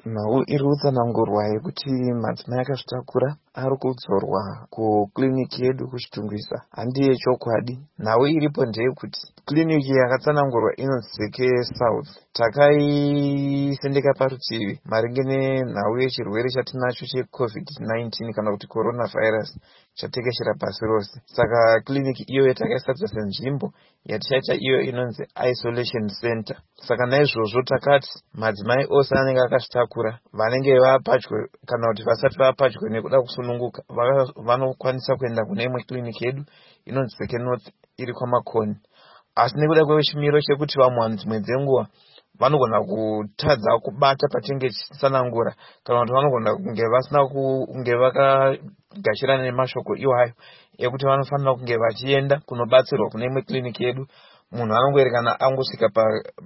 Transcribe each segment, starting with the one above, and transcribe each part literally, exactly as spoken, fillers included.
Nhau iri kutsanangurwa yekuti madzimai akazvitakura ari kudzorwa kukiriniki yedu kuchitungwisa handi yechokwadi. Nhau iripo ndeyekuti kiriniki yakatsanangurwa inonzi Seke South takaisendeka parutivi maringe nenhau yechirwere chatinacho checovid nineteen kana kuti coronavirus chatekeshera pasi rose. Saka kiriniki iyoyo takaisatsa senzvimbo yatichaita iyo inonzi isolation center. Saka naizvozvo takati madzimai ose anenge akazvitakura vanenge vapadyo kana kuti vasati vapadyo nekuda kusununguka vanokwanisa kuenda kune imwe kiriniki yedu inonzi Seke North iri kwamakoni. Asi nekuda kwechimiro chekuti vamwe dzimwe dzenguva vanogona kutadza kubata patinenge tichitsanangura kana kuti vanogona kunge vasina kunge vakagashirana nemashoko iwayo ekuti vanofanira kunge vachienda kunobatsirwa kune imwe kiriniki yedu, munhu anongoerekana angosvika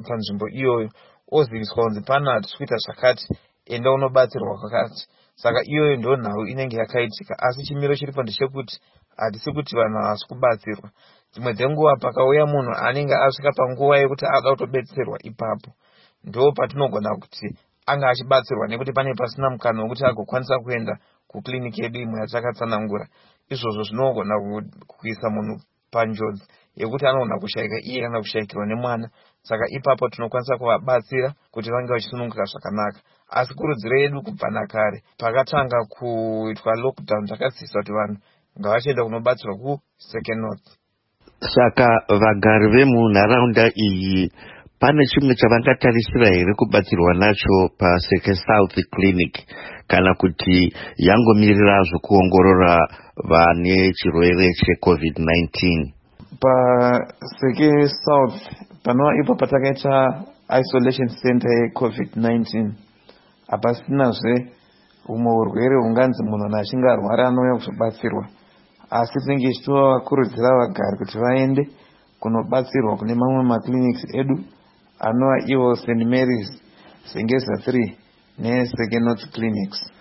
panzvimbo iyoyo oziviswa kunzi pana tichikuita zvakati, enda unobatsirwa kwakati. Saka iyoyo ndo nhau inenge yakaitika, asi chimiro chiripo ndechekuti hatisi kuti vanhu havasi kubatsirwa. Dzimwe dzenguva pakauya munhu anenge asvika panguva yekuti ada kutobetserwa, ipapo ndo patinogona kuti anga achibatsirwa nekuti pane pasina mukana wekuti agokwanisa kuenda kukiriniki yedu imwe yatakatsanangura. Izvozvo zvinogona kuisa munhu panjodzi yekuti anogona kushayika iye kana kushayikirwa nemwana. Saka ipapo tinokwanisa kuvabatsira kuti vange vachisununguka zvakanaka. Asi kurudziro yedu kubva nakare pakatanga kuitwa lockdown takasisa kuti vanhu ngavachienda kunobatsirwa kuSeke North. Saka vagari vemunharaunda iyi pane chimwe chavangatarisira here kubatsirwa nacho paSeke South Clinic kana kuti yangomirira zvokuongorora vane chirwere checovid nineteen? PaSeke South panova ipo patakaita isolation center yecovid nineteen hapasinazve humwe urwere hunganzi munhu achinge arwara anouya kuzobatsirwa, asi tinenge tichitovakurudzira vagari kuti vaende kunobatsirwa kune mamwe maclinics edu anova ivo Saint Mary's, Zengeza three neSeke North clinics.